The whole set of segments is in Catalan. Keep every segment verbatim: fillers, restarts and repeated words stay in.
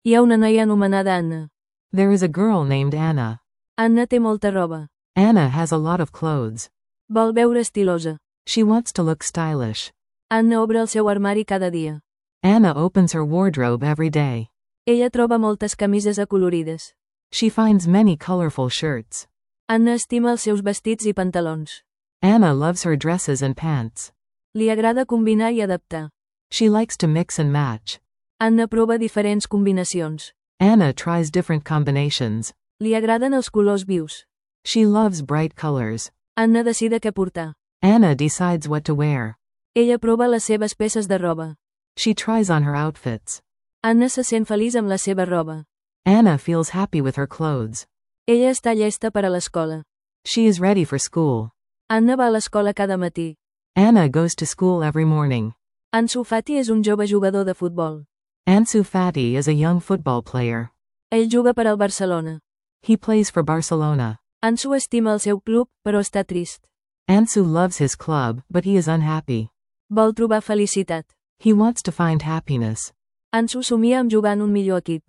Hi ha una noia anomenada Anna. There is a girl named Anna. Anna té molta roba. Anna has a lot of clothes. Vol veure estilosa. She wants to look stylish. Anna obre el seu armari cada dia. Anna opens her wardrobe every day. Ella troba moltes camises acolorides. She finds many colorful shirts. Anna estima els seus vestits i pantalons. Anna loves her dresses and pants. Li agrada combinar i adaptar. She likes to mix and match. Anna prova diferents combinacions. Anna tries different combinations. Li agraden els colors vius. She loves bright colors. Anna decide què portar. Anna decides what to wear. Ella prova les seves peces de roba. She tries on her outfits. Anna se sent feliç amb la seva roba. Anna feels happy with her clothes. Ella està llesta per a l'escola. She is ready for school. Anna va a l'escola cada matí. Anna goes to school every morning. Ansu Fati és un jove jugador de futbol. Ansu Fati is a young football player. Ell juga per al Barcelona. He plays for Barcelona. Ansu estima el seu club, però està trist. Ansu loves his club, but he is unhappy. Vol trobar felicitat. He wants to find happiness. Ansu somia amb jugar en un millor equip.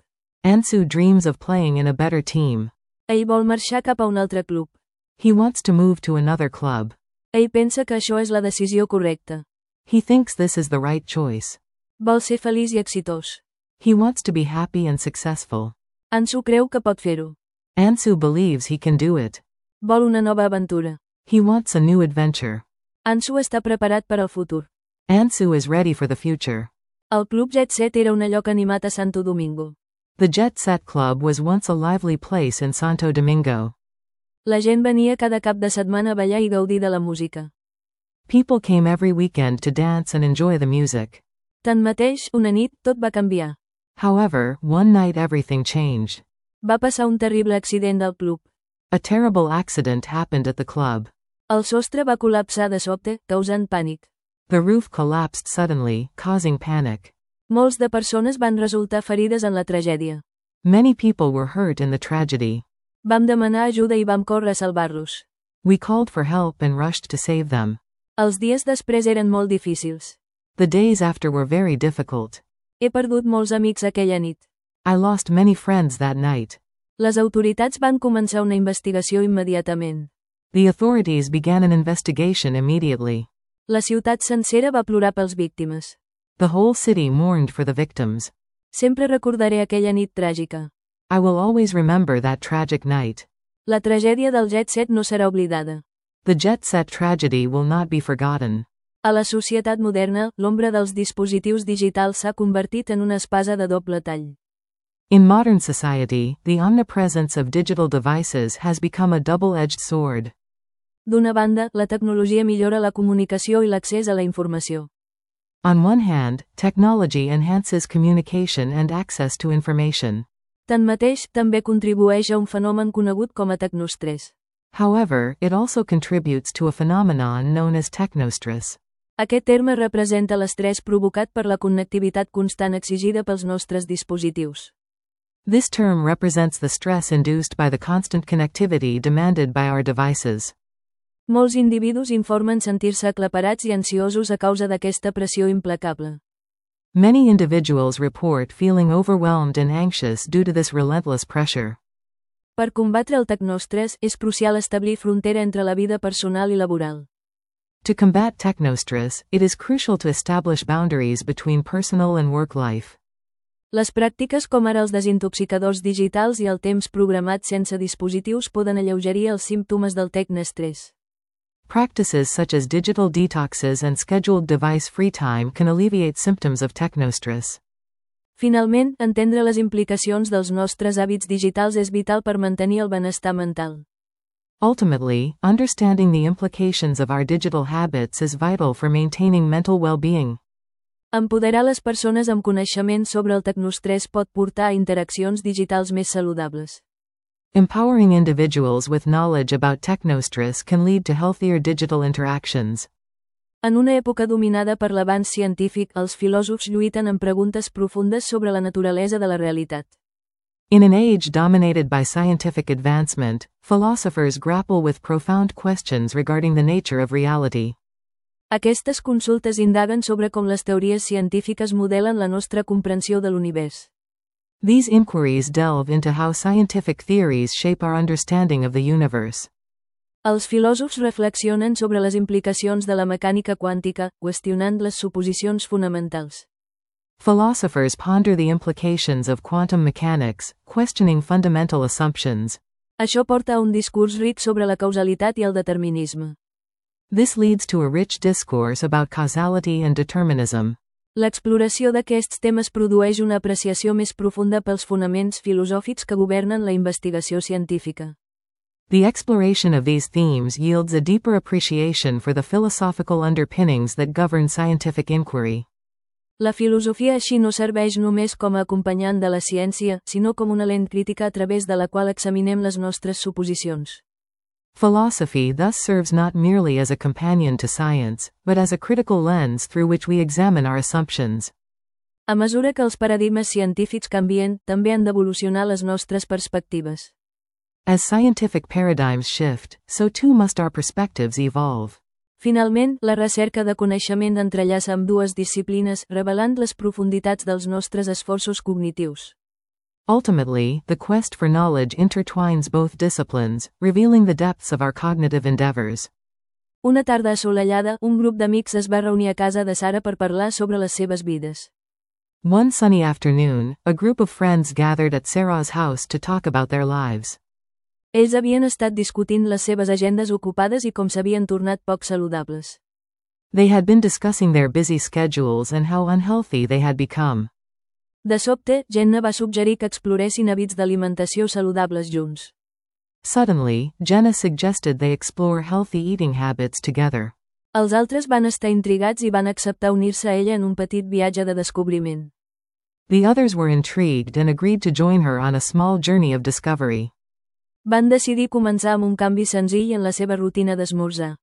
Ansu dreams of playing in a better team. Ell vol marxar cap a un altre club. He wants to move to another club. Ell pensa que això és la decisió correcta. He thinks this is the right choice. Vol ser feliç i exitós. He wants to be happy and successful. Ansu creu que pot fer-ho. Ansu believes he can do it. Vol una nova aventura. He wants a new adventure. Ansu està preparat per al futur. Ansu is ready for the future. El Club Jet Set era un lloc animat a Santo Domingo. The Jet Set Club was once a lively place in Santo Domingo. La gent venia cada cap de setmana a ballar i gaudir de la música. People came every weekend to dance and enjoy the music. Tanmateix, una nit, tot va canviar. However, one night everything changed. Va passar un terrible accident al club. A terrible accident happened at the club. El sostre va col·lapsar de sobte, causant pànic. The roof collapsed suddenly, causing panic. Molts de persones van resultar ferides en la tragèdia. Many people were hurt in the tragedy. Vam demanar ajuda i vam córrer a salvar-los. We called for help and rushed to save them. Els dies després eren molt difícils. The days after were very difficult. He perdut molts amics aquella nit. I lost many friends that night. Les autoritats van començar una investigació immediatament. The authorities began an investigation immediately. La ciutat sencera va plorar pels víctimes. The whole city mourned for the victims. Sempre recordaré aquella nit tràgica. I will always remember that tragic night. La tragèdia del Jet Set no serà oblidada. The Jet Set tragedy will not be forgotten. A la societat moderna, l'ombra dels dispositius digitals s'ha convertit en una espasa de doble tall. In modern society, the omnipresence of digital devices has become a double-edged sword. D'una banda, la tecnologia millora la comunicació i l'accés a la informació. On one hand, technology enhances communication and access to information. Tanmateix, també contribueix a un fenomen conegut com a tecnostrès. However, it also contributes to a phenomenon known as technostress. Aquest terme representa l'estrès provocat per la connectivitat constant exigida pels nostres dispositius. This term represents the stress induced by the constant connectivity demanded by our devices. Molts individus informen sentir-se aclaparats i ansiosos a causa d'aquesta pressió implacable. Many individuals report feeling overwhelmed and anxious due to this relentless pressure. Per combatre el tecnostrès, és crucial establir frontera entre la vida personal i laboral. To combat technostress, it is crucial to establish boundaries between personal and work life. Les pràctiques com ara els desintoxicadors digitals i el temps programat sense dispositius poden alleugerir els símptomes del tecnostrès. Practices such as digital detoxes and scheduled device-free time can alleviate symptoms of technostress. Finalment, entendre les implicacions dels nostres hàbits digitals és vital per mantenir el benestar mental. Ultimately, understanding the implications of our digital habits is vital for maintaining mental well-being. Empoderar les persones amb coneixement sobre el tecnostrès pot portar a interaccions digitals més saludables. Empowering individuals with knowledge about technostress can lead to healthier digital interactions. En una època dominada per l'avanç científic, els filòsofs lluiten amb preguntes profundes sobre la naturalesa de la realitat. In an age dominated by scientific advancement, philosophers grapple with profound questions regarding the nature of reality. Aquestes consultes indaguen sobre com les teories científiques modelen la nostra comprensió de l'univers. These inquiries delve into how scientific theories shape our understanding of the universe. Els filòsofs reflexionen sobre les implicacions de la mecànica quàntica, qüestionant les suposicions fonamentals. Philosophers ponder the implications of quantum mechanics, questioning fundamental assumptions. Això porta a un discurs ric sobre la causalitat i el determinisme. This leads to a rich discourse about causality and determinism. L'exploració d'aquests temes produeix una apreciació més profunda pels fonaments filosòfics que governen la investigació científica. The exploration of these themes yields a deeper appreciation for the philosophical underpinnings that govern scientific inquiry. La filosofia així no serveix només com a acompanyant de la ciència, sinó com una lent crítica a través de la qual examinem les nostres suposicions. Philosophy thus serves not merely as a companion to science, but as a critical lens through which we examine our assumptions. A mesura que els paradigmes científics canvien, també han d'evolucionar les nostres perspectives. As scientific paradigms shift, so too must our perspectives evolve. Finalment, la recerca de coneixement entrellaça amb dues disciplines, revelant les profunditats dels nostres esforços cognitius. Ultimately, the quest for knowledge intertwines both disciplines, revealing the depths of our cognitive endeavors. Una tarda assolellada, un grup d'amics es va reunir a casa de Sara per parlar sobre les seves vides. One sunny afternoon, a group of friends gathered at Sarah's house to talk about their lives. Ells havien estat discutint les seves agendes ocupades i com s'havien tornat poc saludables. They had been discussing their busy schedules and how unhealthy they had become. De sobte, Jenna va suggerir que exploressin hàbits d'alimentació saludables junts. Suddenly, Jenna suggested they explore healthy eating habits together. Els altres van estar intrigats i van acceptar unir-se a ella en un petit viatge de descobriment. The others were intrigued and agreed to join her on a small journey of discovery. Van decidir començar amb un canvi senzill en la seva rutina d'esmorzar.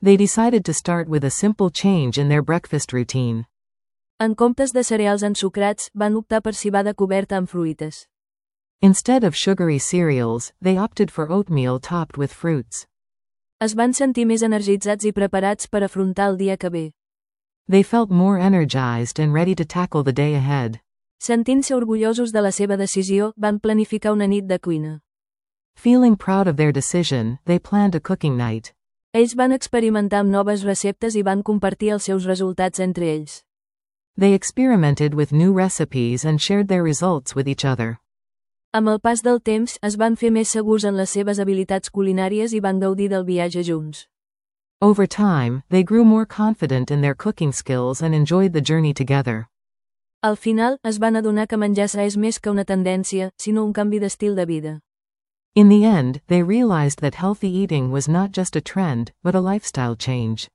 They decided to start with a simple change in their breakfast routine. En comptes de cereals ensucrats, van optar per cibada coberta amb fruites. Instead of sugary cereals, they opted for oatmeal topped with fruits. Es van sentir més energitzats i preparats per afrontar el dia que ve. They felt more energized and ready to tackle the day ahead. Sentint-se orgullosos de la seva decisió, van planificar una nit de cuina. Feeling proud of their decision, they planned a cooking night. Ells van experimentar amb noves receptes i van compartir els seus resultats entre ells. They experimented with new recipes and shared their results with each other. Amb el pas del temps, es van fer més segurs en les seves habilitats culinàries i van gaudir del viatge junts. Over time, they grew more confident in their cooking skills and enjoyed the journey together. Al final, es van adonar que menjar sa és més que una tendència, sinó un canvi d'estil de vida. In the end, they realized that healthy eating was not just a trend, but a lifestyle change.